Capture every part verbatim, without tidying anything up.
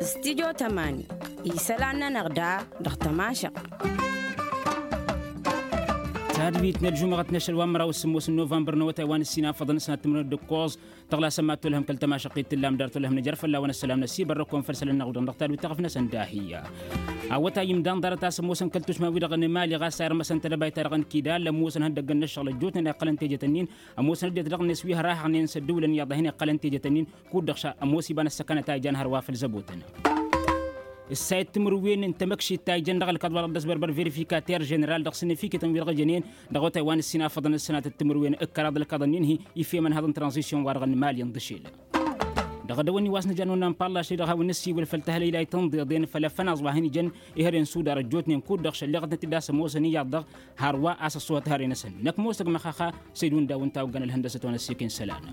Stidyo tămani isălan-nănăɣ da dăɣ-tămašăɣt. Tadbit n-ălžumăɣăt n-ašăl wa n-măraw s-sǝmmos n-novămbăr n-awătay wa n-ǝssin afăḍăn s-năttǝmrăd d-ǝkkoẓ tăɣlasăm ad-tolhăm kăl-tămašăɣt-i t-tǝllam dar tolhăm nǝjăr fălla-wăn ăssălam n-ăsibărrăkon făll-isălan n-aɣudăn dăɣ-tadbit taɣăf-năsăn dahi. Awătay imdan ḍarăt a-s ămoosăn kăl-tušma-wi-dăɣ n-emali ɣas a irmăsăn tedăbayt-ta-dăɣ n-kidal ămoosăn ihăndăggăn n-ăššăɣǝl ăjjootnen a iqqălăn teje-tăn-in. Ămoosăn ăddinăt dăɣ-net wi hărahăɣnen s-ăddǝwǝlăn iyyăḍ a hin-iqqălăn teje-tăn-in kud-dăɣ ša ămoos iba n-ăssăkanăt a ijan hărwa făll-zăbotăn. Ǝssayăt timǝrwen n-tamăkšit ta ijan dăɣ-ălkaḍ wa-dăɣ dd-ăsbărbăr verificater ženeral dăɣ-săn ifikităn wi-dăɣ ǝjănen dăɣ-awătay wa n-ǝssin afăḍăn ǝssănat timǝrwen ǝkkăraḍ ălkaḍăn-in-hi. Ifem ănhăḍ n-tranzisyon-wa-dăɣ n-mali n-dăšel dăɣ-dăwăn-i wa s-nǝjan wănnan pălla ašli-dăɣ a-wen nǝssiwǝl făll-tahălăy la itănḍeḍen făll-afănaẓ wa hin-ijăn. Ihăre n-sudar ăjjootnen kud-dăɣ šălleɣăt n-ătiddas ămoosăn iyyăḍ-dăɣ hărwa a-s ăṣṣuhăt hărăy-năsăn năkk mosăg măxaxa. Săydun daw ǝnta a oggăn ălhăndăsăt wa n-ăssiik n-isălan.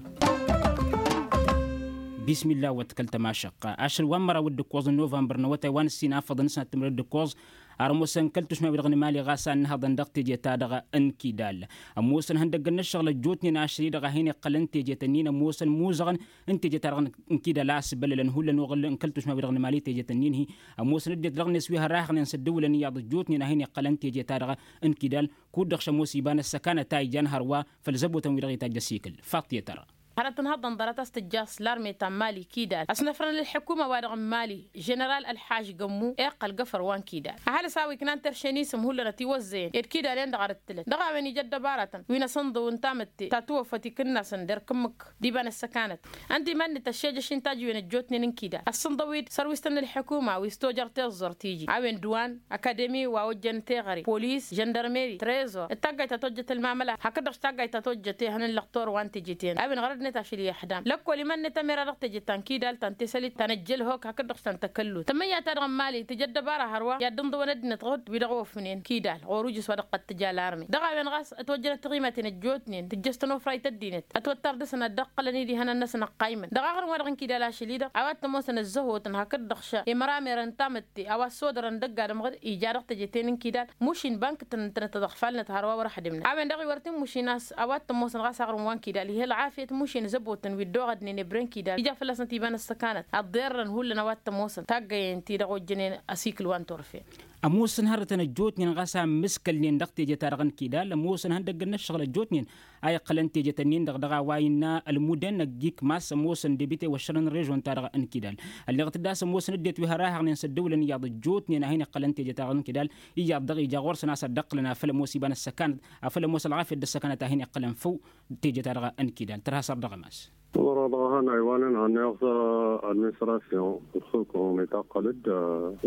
Bismilla wăt kăl-tămašăqqa ašăl wa n-măraw d-ǝkkoẓ n-novămbăr n-awătay wa n-ǝssin afăḍăn s-năttǝmrăd d-ǝkkoẓ. Ar ămoosăn kăl-tušma-wi-dăɣ n-emali ɣas a ǝnnăhăḍăn dăɣ-teje-ta-dăɣ n-kidal ămoosăn ihăndăggăn n-ăššăɣǝl ăjjootnen ašăl-i-dăɣ a hin-iqqălăn teje-tăn-in ămoosăn imuzăɣăn n-teje-ta-dăɣ n-kidal a ăsbăllălăn hullan oɣǝl n-kăl-tušma-wi-dăɣ n-emali teje-tăn-in-hi. Ămoosăn ăddinăt dăɣ-net wi hărahăɣnen s-ăddǝwǝlăn iyyăḍ ăjjootnen a hin-iqqălăn teje-ta-dăɣ n-kidal kud-dăɣ šămoos iba n-ăssăkanăt a ijan hărwa făll-zăbotăn-wi-dăɣ itajj ăsikǝl. Faḍt i-tăra. Hărăt ǝnhăḍăn ḍarăt a-s tǝjja a-s larme ta n-mali kidal ăsnăfrăn ălḥǝkuma-wa-dăɣ n-mali ženeral ălḥaž gămmu iqqăl găfăr wa n-kidal ăhalǝs a-wa iknan terše n-isǝm hullan ătiwăzzăyăn ed kidal-en-dăɣ arǝttǝlăn dăɣ-a-wen ija ăddăbarătăn wi n-asǝnḍǝw n-tamǝtte ta tǝwăffăt ikǝnnasăn d-erk ǝmmǝk d-iba n-ăssăkanăt. Ănta iman-net ăššejăš-in tajǝwen ăjjootnen n-kidal ăssǝnḍăw-dd sărwistăn n-ălḥǝkuma wi s-tojăr tiẓẓurt iji a-wen dăwan akademi wa ojjăn teɣăre polis žăndărmeri trezor d-taggayt ta tojjăt ălmamăla hakd-dăɣ taggayt ta tojjăt ehăn n-lăqtor wa n-teje-ten a-wen ɣărădnet ašăl i-ăḥdam lăkkol iman-net ămera dăɣ-teje ta n-kidal ta n-tesălit ta n-ăjjălhok hakd-dăɣ ta n-tăkăllut tămăyya-ta-dăɣ n-mali tǝjăd dăbara hărwa i-ad-dd-ǝnḍǝwăn ăddinăt ɣǝd wi-dăɣ ofnen kidal ɣur-ujǝs wa dăɣ-tăt-tǝja larme dăɣ-a-wen ɣas ătwăjjănăt tiɣimaten ăjjootnen tǝjjăs tănofrayt ăddinăt ătwăttar dăɣ-săn ad-dd-ăqqălăn-dd ihănan-năsăn ăqqaymăn dăɣ-aɣrǝm wa dăɣ-n kidal ašăl-i-dăɣ a-wa t-ămoosăn ăzzăhotăn hakd-dăɣ ša imăramerăn tamǝtte a-wa ăssodărăn dăgg-adǝm ɣǝd ija dăɣ-teje-ten n-kidal mušin bankǝtăn ǝntănăt tăḍăɣfalnăt hărwa wăr-ăxdǝmnăt a-wen-dăɣ iwărăt immušin a-s a-wa t-ămoosăn ɣas aɣrǝm wa n-kidal ih'-ălɣafyăt mušin zăbotăn wi dd-oɣădnen ebre n-kidal ija fălla-snăt iba n-ăssăkanăt ăḍḍerrăn hullan a-wa t-ămoosăn taggăyen-ti-dăɣ ojjănen ăsikǝl wa n-turfen. Ămoosăn hărătăn ăjjootnen ɣas a ǝmmǝskălnen dăɣ-teje-ta-dăɣ n-kidal ămoosăn ihăndăggăn n-ǝššăɣǝl ăjjootnen a iqqălăn teje-tăn-in-dăɣ dăɣ-a-wa innă ălmudăn ăgg-ikmas ămoosăn debite wăššărăn režon-ta-dăɣ n-kidal. Ălleɣ-t d-a-s ămoosăn ăddinăt wi hărahăɣnen s-ăddăwǝlăn iyyăḍ ăjjootnen a hin-iqqălăn teje-ta-dăɣ n-kidal iyyăḍ-dăɣ ija ɣur-săn a-s ad-dd-ăqqǝlăn a făl ămoos iba n-ăssăkanăt a făl ămoos ălɣafyăt d-ăssăkanăt a hin-iqqălăn făw teje-ta-dăɣ n-kidal tărha săr dăɣ-ămas. Wăr-a dăɣ-ehăn a iwanen hănneɣ s-administrasyon ǝlxǝlkǝhum itaqqăl-dd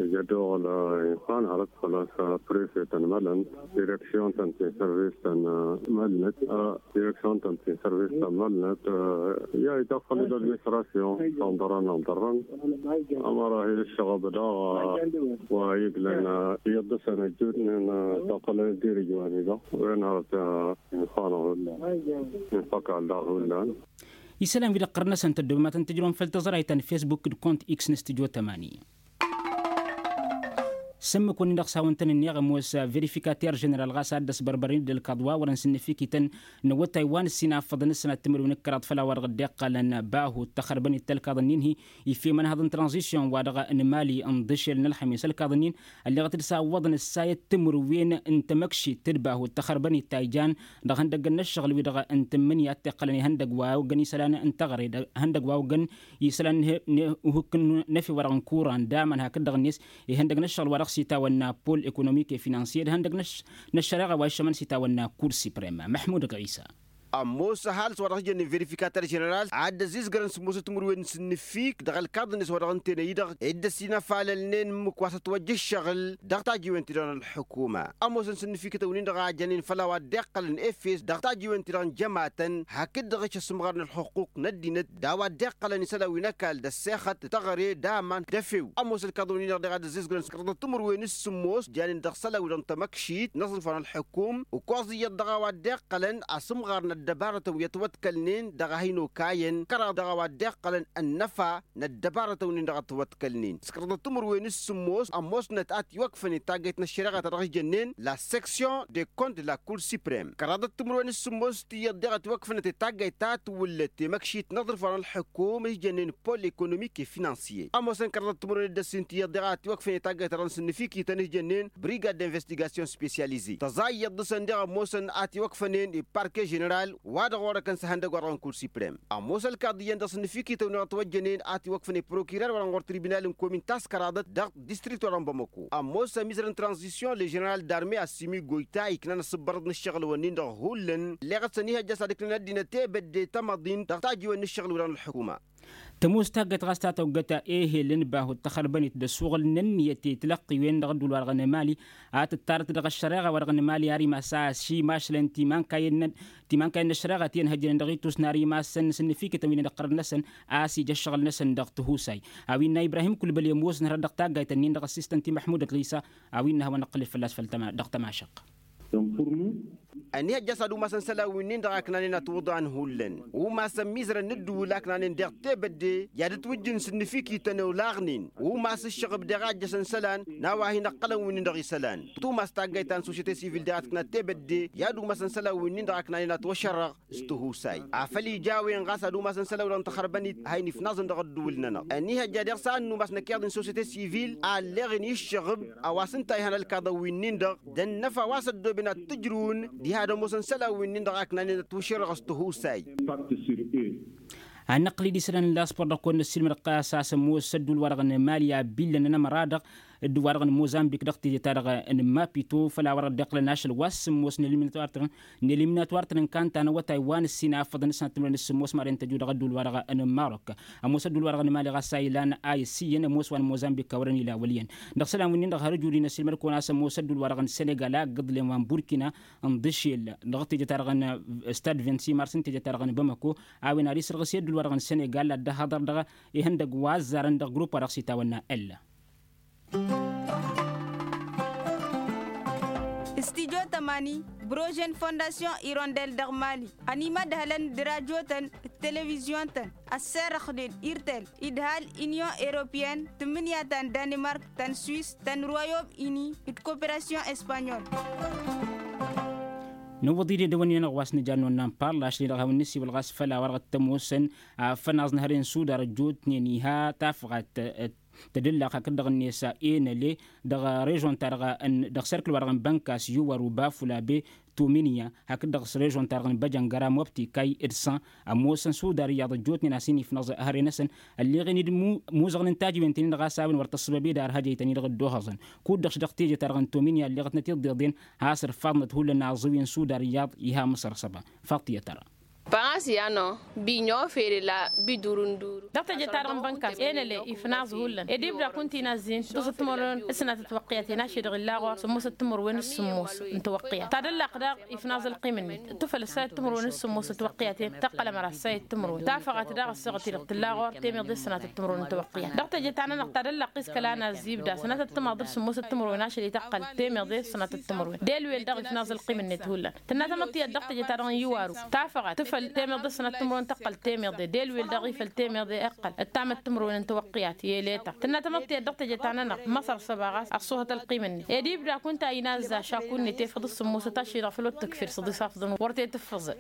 ija dd-oɣăl insan hărăt făl-a-s prefe-tăn mălăn direksyon-tăn ti n-sărvis-tăn mălnăt direksyon-tăn ti n-sărvis-tăn mălnăt. I-a itaqqăl-dd administrasyon s-anḍărăn anḍărrăn ămăra hi-dd-ǝššăɣăb daɣ wa iglăn iyyăḍ dăr-săn ăjjootnen taqqălăn-dd irǝj wa n-i-dăɣ wen hărăt insan hullan. Infăkal daɣ hullan. Isălan wi-dăɣ ɣur-năsăn tăddobăm ad-tăn-tǝjrǝwăm făll-tăẓrayt ta n-fesbuk d-kont x n-studyo tămani. S-ǝmmǝk-wăn-in-dăɣ s-hawăn-tăn-ǝnneɣ ămoos verifikater ženeral ɣas ad-dd-ăsbărbărăn-dd ălkaḍ wa wărăn s-ǝnnǝfikităn n-awătay wa n-ǝssin a ǝffăḍăn ǝssănat timǝrwen d-kăraḍ făll-a-wa dăɣ-dd-iqqălăn bahu d-taxărbănit ta ălkaḍ-ǝnnin-hi. Iffem ănhăḍ n-tranzisyon wa dăɣ-n mali n-iḍǝšel n-ălxămis ălkaḍ-ǝnnin ălleɣăt-dd s-a ǝwwăḍăn ǝssayăt timǝrwen n-tamăkšit d-bahu d-taxărbănit ta ijan dăɣ-ihăndăgg n-ăššăɣǝl-wi-dăɣ n-tǝmmǝnǝya a t-iqqălăn ihăndăgg wa oggăn isălan n-taɣre d-ihăndăgg wa oggăn isălan n-ehukk n-efew wa dăɣ-n kuran d-aman hakd-dăɣ-net ihăndăgg n-ăššăɣǝl wa dăɣ-s itawănna pol ekonomik e-finansiye d-ihăndăgg n-ăššăreɣa wa iššămăn s-itawănna kur siprem. Măḥmud ɣisa. Ămoos ăhalǝs wa dăɣ-s jănnen verifikater ženeral ad-dd-ăzzizgărăn s-ămoosăt timǝrwen n-sǝnnǝfik dăɣ-ălkaḍ-net wa dăɣ-ǝnta enăy-dăɣ ed dd-ăsinăfalălnen ǝmmǝk wa s-ătwăjja ǝššăɣǝl dăɣ-tajiwen-ti-dăɣ n-ălḥukuma. Ămoosăn sǝnnǝfikătăn-win-dăɣ a jănen făll-a-wa dd-iqqălăn efes dăɣ-tajiwen-ti-dăɣ n-jămatăn hakd-dăɣ-s ăsǝmɣar n-ălxuqquq n-ăddinăt d-a-wa dd-iqqălăn isălan wi n-ăkall d-ăssexăt d-teɣăre d-aman d-efew. Ămoos ălkaḍăn-win-dăɣ deɣ ad-ăzzizgărăn s-kăraḍăt timǝrwen s-sǝmmos janen dăɣ-isălan-wi-dăɣ n-tamăkšit n-aẓrǝf wa n-ălḥukum ǝkkoẓ iyyăḍ dăɣ-a-wa dd-iqqălăn asǝmɣar n-ăddinăt. ăddăbarătăn wi ătwăḍkălnen dăɣ-a hin-okayăn kăraḍ dăɣ-a-wa dd-iqqălăn ănnăfa n-ăddăbarătăn-win-dăɣ ătwăḍkălnen s-kăraḍăt timǝrwen s-sǝmmos ămoosnăt a tiwăkfănen taggayt n-ăššăreɣa ta dăɣ-s jănnen la section de compte de la cour suprem kăraḍăt timǝrwen s-sǝmmos tiyyăḍ deɣ ătwăkfănăt i-taggayt ta tǝwǝllăt temăkšit n-aḍrǝf wa n-ălḥǝkum s-jănnen pol economic e finansiye ămoosăn kăraḍăt timǝrwen d-ăssin tiyyăḍ deɣ a tiwăkfănen i-taggayt ta dăɣ-nǝsǝnnǝfikităn s-jănnen brigad d-investigation spesyalize tăẓa iyyăḍ dăɣ-săn deɣ ămoosăn a tiwăkfănen i-parke ženeral wa dăɣ-orăkăn s-ehăndăg wa dăɣ-n kur suprem ămoos ălkaḍ iyyăn dăɣ-s ǝnnǝfikităn-wi-dăɣ ătwăjjănen a tiwăkfănen prokirer wa dăɣ-n ɣur-tribinal n-komin ta s-kăraḍăt dăɣ-distrikt wa dăɣ-n bamăko ămoos ămizărăn tranzisyon le ženeral d-arme assimi goyta iknan asǝbbărăḍ n-ǝššăɣǝl-wǝnnin-dăɣ hullan ălleɣăt s-ănihăjja s-ad-ǝknan ăddinăt tebădde tamăḍint dăɣ-tajiwen n-ǝššăɣǝl-wi-dăɣ n-ălḥukuma. Tămoos taggăt ɣas ta tăwgăt ehel n-bahut tăxărbănit d-ăssuɣǝl n-ǝnniyăt i-tilăqqiwen dăɣ-ădduul-wa-dăɣ n-emali a tǝttarăt dăɣ-ăššăreɣa-wa-dăɣ n-emali ar imass a ăssimašlăn timankayen timankayen n-ăššăreɣa ti ănhăjjănen dăɣ-itus n-ar imassăn n-asǝnnǝfikǝtăn wi-dăɣ ǝqqărăn-năsăn a-s ija ăššăɣǝl-năsăn dăɣ-tihusay a-wa innă ibrahim kulbăl i-ămoosăn hărăt dăɣ-taggayt-nin-dăɣ ăssistăn ti măḥmud ălɣisa a-wa innă a hawăn-năqqǝlǝd fălla-s făll-tama dăɣ-tamašăq. Ăniihăjja a-s ad-umasăn isălan-winnin-dăɣ a ǝknanen ătwǝḍan hullan umasăn imizărăn n-ǝddǝwǝl a ǝknanen deɣ tebădde i-ad-ǝtwǝjjǝn s-ǝnnǝfikităn olaɣnen umas ǝššăɣǝb deɣ a ǝjjăsăn isălan n-a-wa hin-ăqqălăn winnin-dăɣ isălan tumas taggayt ta n-sosyete sivil deɣ a tǝknat tebădde i-ad-umasăn isălan-winnin-dăɣ a ǝknanen ătwăšărrăɣ s-tihusay afăl ija a-wen ɣas ad-umasăn isălan-wi-dăɣ n-taxărbănit a hin-ifnaẓăn dăɣ-ădduul-nănăɣ ăniihăjja deɣ s-ad-numas năkk iyyăḍ n-sosyete sivil a ălleɣen i-ǝššăɣǝb a-wa s-ǝnta a ihan ălkaḍăn-winnin-dăɣ d-ănnăfa wa s-ăddooben ad-t-ǝjrǝwăn diha d-ămoosăn isălan-winnin-dăɣ a ǝknanen ătwăšărrăɣ s-tihusay. Ad-năqqǝl-dd isălan n-laspor dăɣ-kăwăn-năssiilmăd ɣas a-s ămoos ădduul-wa-dăɣ n-emali a billăn ănămăra-dăɣ ădduul-wa-dăɣ n-mozambik dăɣ-teje-ta-dăɣ n-mapito făl a wăr ăddiqlăn ašăl wa s-sǝmmos n-eliminatwar-tăn n-eliminatwar-tăn n-kanta n-awătay wa n-ǝssin a ǝffăḍăn d-sănat timǝrwen s-sǝmmos maren tăju dăɣ-ădduul-wa-dăɣ n-marok. Ămoos ădduul-wa-dăɣ n-emali ɣas a ilan a issǝyyăn ămoos wa n-mozambik a wărăn ila wăl' iyyăn dăɣ-isălan-winnin-dăɣ har ǝjud-in ăssiilmăd kăwăn-as ămoos ădduul-wa-dăɣ n-senegal a ǝggǝḍlen wa n-burkina n-dăšel dăɣ-teje-ta-dăɣ n-stad vingt-six mars n-teje-ta-dăɣ n-bamako a-wen ad-isǝrɣǝs i-ădduul-wa-dăɣ n-senegal ad-dd-ăhaḍăr dăɣ-ihăndăgg wa ăzzarăn dăɣ-grupp wa dăɣ-s itawănna ălla. Studyo tămani brožen fondasyon irondel dăɣ-mali ănimădhălăn d-radyo-tăn d-televizyon-tăn ăsserăxnen irtel idhal inyon europeyăn tǝmmǝnǝya ta n-danimark ta n-swis ta n-royom ini d-koperasyon espanyol. Nǝwwăḍ-dd edăwănnin-anăɣ wa s-nǝja n-nonnan parlaš-ni-dăɣ hawăn-nǝsiwǝl ɣas făll-a-wa dăɣ-t-ămoosăn afănaẓ n-hărăn sudar ăjjootnen iha tafɣat tădǝllaɣt hakd-dăɣ-net enăle dăɣ-režon-ta-dăɣ dăɣ-serkǝl-wa-dăɣ n-bănkas iwar ubafulabe tominiya hakd-dăɣ s-režon-ta-dăɣ n-băjăngăra mobti kay d-săn ămoosăn sudar iyyăḍ ăjjootnen a-s hin-ifnăẓ hărăn-năsăn ălleɣen-dd muzăɣnen tajǝwen-tăn-in-dăɣ a-s a-wen wăr tăssăbăb i-dd ar hăjăy-tăn-in-dăɣ dd-ohăẓăn kud-dăɣ s-dăɣ teje-ta-dăɣ n-tominiya ălleɣătnăt iḍeḍen has-ărfaḍnăt hullan aẓǝwi n-sudar iyyăḍ iha măsăr s-ăba. Faḍt iyyăt ărăn. Păɣas i-anăɣ bi n-ofere la bi dur n-dur. Dăɣ-teje-ta-dăɣ n-bănkas enăle ifnaẓ hullan ed ibda kunta inazzin dăɣ-s ăttămărwen s-sănatăt tiwăqqiyăten ašăl-i-dăɣ illa ɣur-sămmosăt timărwen s-sămmos n-tiwăqqiyăt tadăllaqt daɣ ifnaẓ ălqim-net tufăl ăssayăt timărwen s-sămmos n-tiwăqqiyăten tăqqăl ămăra ăssayăt timărwen tafăɣăt daɣ ăssaɣăt-i-dăɣ tǝlla ɣur temeḍe s-sănatăt timărwen n-tiwăqqiyăt dăɣ-teje ta-nănăɣ tadăllaqt isălan azzibda sănatăt timăḍ d-sămmosăt timărwen ašăl-i tăqqăl temeḍe s-sănatăt timărwen delwel daɣ ifnaẓ ălqim-net hullan tǝnna tamăḍt tiyyăt dăɣ-teje-ta-dăɣ n-iwaru tafăɣăt tǝfăl temeḍe s-sănatăt timărwen tăqqăl temeḍe delwel daɣ ifăl temeḍe ǝqqăl ăttamăt timărwen n-tiwăqqiyat i-eletaɣ tǝnna tamăḍt tiyyăt dăɣ-teje-ta-nănăɣ măsăr săba ɣas ăṣṣuhăt ălqim-net ed ibda kunta inazza šaku-net efăḍ s-sămmosăt ašăl-i-dăɣ făll-otǝkfir s-ăḍisafḍăn wăr t-e-tǝffǝẓăd.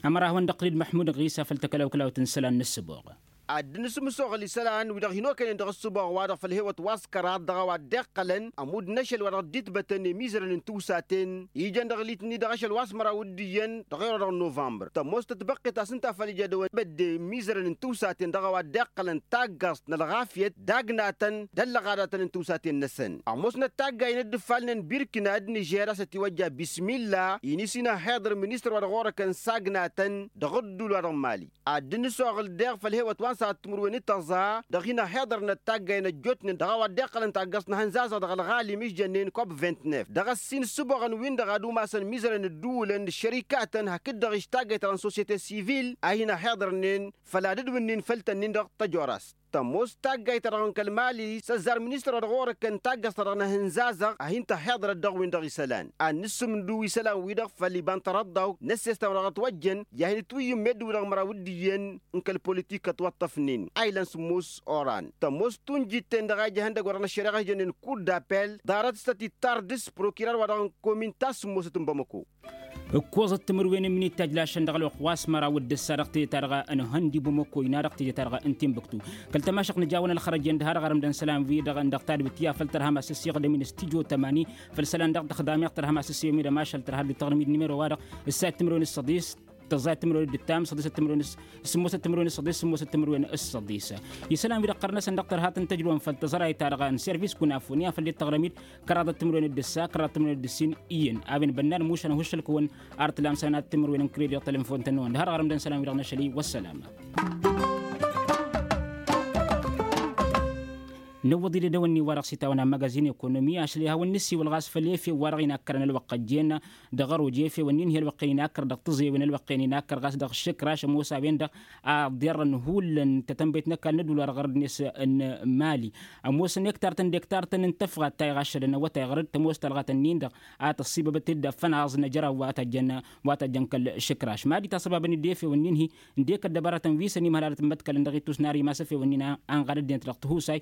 Ămăra hawăn-dd-ăqqǝl-dd măḥmud ɣisa făll-takălawkălawt n-isălan n-ǝssǝboɣ. Ad-dd-nǝsǝmsoɣăl isălan-wi-dăɣ hin-okăynen dăɣ-ǝssǝboɣ-wa-dăɣ făll-hewăt wa s-kăraḍ dăɣ-a-wa dd-iqqălăn ămudd n-ašăl wa dăɣ-dd-itbătăn i-imizărăn n-tiwsaten ijăn dăɣ-litni dăɣ-ašăl wa s-măraw d-iyyăn dăɣ-ero-dăɣ n-novămbăr tămoos tătbăqqet a-s ǝnta a făl ija dăwăn bădde imizărăn n-tiwsaten dăɣ-a-wa dd-iqqălăn taggăẓt n-ălɣafyăt d-agnatăn d-ăllăɣadatăn n-tiwsaten-năsăn ămoosnăt taggay n-dd-ǝffalnen birkina d-nižer a-s ătiwăjja bismilla-i n-isin ăhhiḍăr ministăr wa dăɣ-orăkăn s-agnatăn dăɣ-ăddul wa dăɣ-mali ad-dd-nǝsoɣǝl deɣ făll-hewăt wa n-săɣăt timǝrwen d-tăẓẓa dăɣ-hin-ăhhiḍărnăt taggay n-ăjjootnen dăɣ-a-wa dd-iqqălăn taggăẓt n-ahǝnzazăɣ dăɣ-ălɣalim i-s jănnen kop vingt-neuf dăɣ-ăssin ǝssǝboɣăn-win-dăɣ ad-umasăn imizărăn ǝddǝwǝlăn d-ăššărikatăn hakd-dăɣ-ištagăyt ta dăɣ-n sosyete sivil a hin-ăhhiḍărnen făll-ad-ǝdwǝnnin făll-tăn-in-dăɣ tăjorast. Tămoos taggayt-ta-dăɣ n-kăl-mali s-ăzzar ministăr wa dăɣ-orăkkăn taggăẓt-ta-dăɣ n-ehăn zazăɣ a hin-tăhhiḍărăt dăɣ-win-dăɣ isălan ad-nǝssǝmdǝw isălan-wi-dăɣ făll-iba n-tărăḍḍawt n-ăssestan-wa-dăɣ ătwăjjăn i-ad-hin-ǝtwǝyyǝm meddǝn-wi-dăɣ măraw d-iyyăn n-kăl-politik ătwăṭṭăfnen a ilăn sǝmmos oran tămoos tunjit-ten-dăɣ a ija ihăndăgg wa dăɣ-năššăreɣa a ijănen kur d-apel ḍarăt s-tăt-ittar dăɣ-s prokirar-wa-dăɣ n-komin ta s-sǝmmosăt n-bamăko. Ǝkkoẓăt timǝrwen n-imǝnit tajlašăn dăɣ-ălwăqq wa s-măraw d-ǝssa dăɣ-teje-ta-dăɣ n-hăndi bumăko ina dăɣ-teje-ta-dăɣ n-timbuktu kăl-tămašăɣt nǝjawăn ălxărăjen d-ha-dăɣ arǝmdăn isălan-wi-dăɣ n-dăɣ tadbǝt i-afăl tărhăm asǝssiɣdăm-in stujo tămani făll-isălan dăɣ-tăxdam i-aɣ tărhăm asǝssiɣdăm-in d-ămašal tărha dd-tăɣrǝm-dd nimero-wa-dăɣ ǝssa timǝrwen s-săḍis tăẓẓayăt timǝrwen d-ǝttam săḍisăt timǝrwen s-săḍis sămmosăt timǝrwen s-săḍis isălan-wi-dăɣ ɣărnăsăn dăɣ-tărhat n-tăjrăwăn făll-tăẓrayt-ta-dăɣ n-servis kunafoni afăl dd-tăɣrăm-dd kăraḍăt timǝrwen d-ǝssa kăraḍăt timǝrwen d-ǝssin iyyăn a-wen bănnan mušan huššăl-kăwăn ar tǝlam sănat timǝrwen n-kredit tălănfon-tăn-năwăn d-hărăɣrăm d-ănn isălan-wi-dăɣ n-ašăl i-wăssălam. Nǝwwăḍ-dd edăwănni-wa-dăɣ s-itawăn amăgazin ekonomi ašăl ihawăn-nǝssiwǝl ɣas făll-efew-wa-dăɣ inakkărăn ălwăqq ăjjeen dăɣ-ăroj efew-ǝnnin hi-ălwăqq-en inakkăr dăɣ-tiẓewin ălwăqq-en inakkăr ɣas dăɣ-išǝkraš ămoos a-wen-dăɣ a ḍerrăn hullan tătănbăyt n-ăkall n-ăddular ɣărăd-net n-mali ămoosăn ektar-tăn d-ektar-tăn n-tăfɣat ta iɣaššădăn awătay ɣărăd tămoos talɣat-ǝnnin-dăɣ a tăssibăbăt-dd afănaẓ n-ajăraw wa tajjăn wa tajjăn kăl-išǝkraš mad-itasăbabăn-dd efew-ǝnnin-hi ǝndek ăddăbăratăn wi s-ănimhălalăt n-imăḍkălăn dăɣ-ittus n-ar imas efew-ǝnnin a ănɣad ăddinăt dăɣ-tihusay.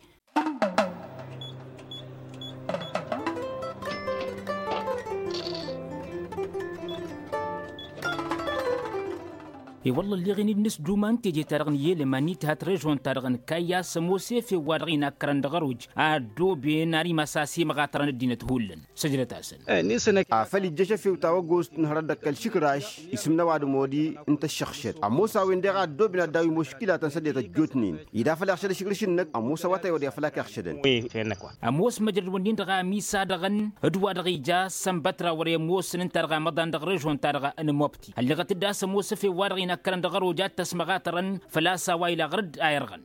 I-wălla ălleɣen-dd n-asduma n-teje-ta-dăɣ n-yelăma n-ithat režon-ta-dăɣ n-kayya s-ămoos efew-wa-dăɣ inakkărăn dăɣ-ăroj a ăddooben ar imas a simăɣatărăn ăddinăt hullan săjdăt-asăn. Afăl ijjăš efew ta wăggost n-hărăt dăɣ-kăl-išǝkraš isǝmnăw ad-modi n-tăššăɣšăd ămoos a-wen-deɣ a ăddooben ad-daw-i muškilatăn s-ăddinăt ăjjootnen ida făl iɣšăd ašǝkrǝš-năk ămoos awătay wăr i-afăl ak-iɣšădăn. Ămoos măjrăd-wǝnnin-dăɣ a ămisad-aɣăn d-wa-dăɣ ija s-ănbătra wăr-e ămoosăn ǝnta-dăɣ amăḍan dăɣ-režon-ta-dăɣ n-mobti ălleɣăt-dd a-s ămoos efew-wa-dăɣ inakkărăn dăɣ-ăroj ad-t-ăsmăɣatărăn făl-a-s a-wa ila ɣăr-dd a irɣăn.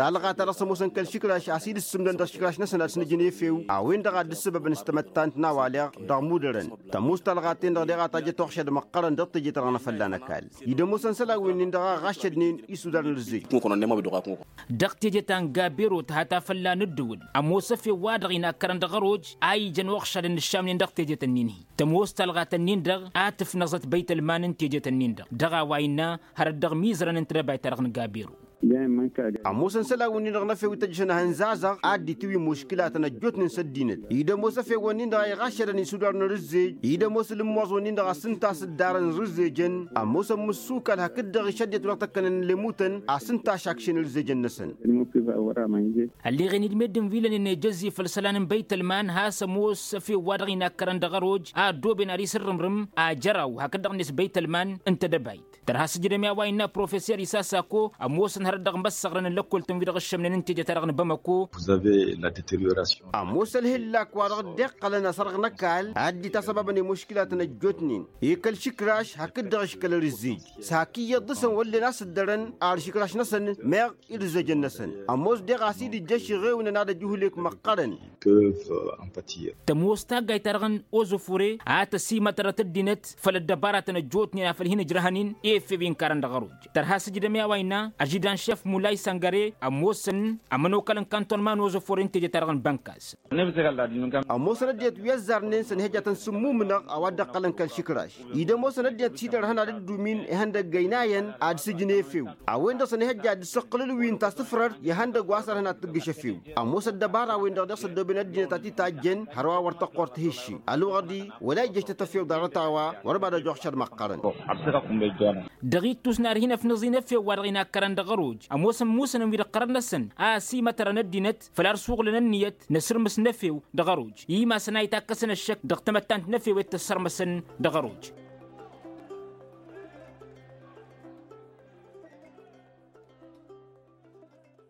Talɣa-ta-dăɣ s-ămoosăn kăl-išǝkraš a-s dd-ǝssǝmdăn dăɣ-išǝkraš-năsăn ad-săn ǝjǝn efew a-wen-dăɣ a dd-ǝssǝbăbăn s-tamăttant n-a-wa leɣ dăɣ-mudărăn tămoos talɣa-ten-dăɣ deɣ a tajjăt uɣšăd măqqărăn dăɣ-teje-ta-dăɣ n-afălla n-ăkall. Dd-ămoosăn isălan-wi-nin-dăɣ a ɣaššădnen isudar n-rǝzzej. Dăɣ-teje ta n-gabero tǝha ta fălla n-ǝddǝwǝl ămoos efew-wa-dăɣ inakkărăn dăɣ-ăroj a ijăn uɣšădăn ǝššamnen dăɣ-tejet-ǝnnin-hi tămoos talɣat-ǝnnin-dăɣ a tǝfnăẓăt băytălman n-tejet-ǝnnin-dăɣ dăɣ-a-wa innă hărăt dăɣ-mizărăn n-tedăbayt-ta-dăɣ n-gabero. Ămoosăn isălan-wǝnnin-dăɣ n-efew ităjjăšăn ehăn zazăɣ ad-dd-itǝwǝy muškilatăn ăjjootnen s-ăddinăt dd-ămoos efew-wǝnnin-dăɣ a iɣaššădăn isudar n-rǝzzej dd-ămoos ǝlǝmmoẓ-wǝnnin-dăɣ a-s ǝnta a-s dd-arăn rǝzzejăn ămoosăn mǝssukal hakd-dăɣ išăddinăt wa dăɣ-tăkkănen ăllemutăn a-s ǝnta a-s akšen ǝlzejăn-năsăn. Ălleɣen-dd meddǝn wi lănen ejăzzi făll-isălan n-băytălman has-ămoos efew-wa-dăɣ inakkărăn dăɣ-ăroj a ăddooben ar isǝrrǝmrǝm ajăraw hakd-dăɣ-net băytălman n-tedăbayt tărha s-ǝjdăm i-a-wa innă profeser isasako ămoosăn hărăt dăɣ-imăssăɣrăn n-lăkkol-tăn-wi-dăɣ ǝššămnen n-teje-ta-dăɣ n-bamăko. Ămoos ălhǝllak wa dăɣ-dd-iqqălăn asărɣ n-ăkall ad-dd-itasăbabăn i-muškilatăn ăjjootnen i-kăl-išǝkraš hakd-dăɣ ǝškăl ărǝzzej s-hak iyyăḍ dăɣ-săn wăllen a-s ǝddărăn ar išǝkraš-năsăn meɣ irǝzzejăn-năsăn ămoos deɣ a-s dd-ijjăš iɣewnăn ad-ăj uhǝlek măqqărăn. Tămoos taggayt-ta-dăɣ n-ozofore a tăsimătărăt ăddinăt făll-ăddăbaratăn ăjjootnen a făl hin-ǝjrăhăn-in efew inkarăn dăɣ-ăroj tărha s-ǝjdăm i-a-wa innă ažidan šef mulay săngăre ămoosăn ămănokal n-kantonma n-ozofore n-teje-ta-dăɣ n-bănkas. Ămoosăn ăddinăt wi ăzzarnen sănihăjjatăn s-ǝmmumǝnăɣ a-wa dd-ăqqălăn kăl-išǝkraš dd-ămoosăn ăddinăt s-idărhăn ad-dd-umin ihăndăgg ăynayăn ad-sǝjǝn efew a-wen-dăɣ sănihăjja ad-dd-săqqǝlǝl wi n-tasǝfrărt i-ihăndăgg wa s-ărhăn ad-tǝggǝš efew. Ămoos ăddăbara-wen-dăɣ deɣ s-ăddooben ăddinăt ad-t-tajjăn hărwa wăr tăqqor tihǝšši ălwăɣăd-i wăla ijjăš tăt-efew ḍarăt a-wa wăr mad-ăjoɣšăd măqqărăn. Dăɣ-ittus n-ad-hin-ăfnăẓ-in efew wa dăɣ-inakkărăn dăɣ-ăroj ămoosăn musănăn wi d-ăqqărăn-năsăn a ăsimătărăn ăddinăt făll-ad-suɣǝlăn ǝnniyăt n-asǝrmǝs n-efew dăɣ-ăroj i-masăn a itakkăsăn ăššăk dăɣ-tamăttant n-efew i-tăssărmăsăn dăɣ-ăroj.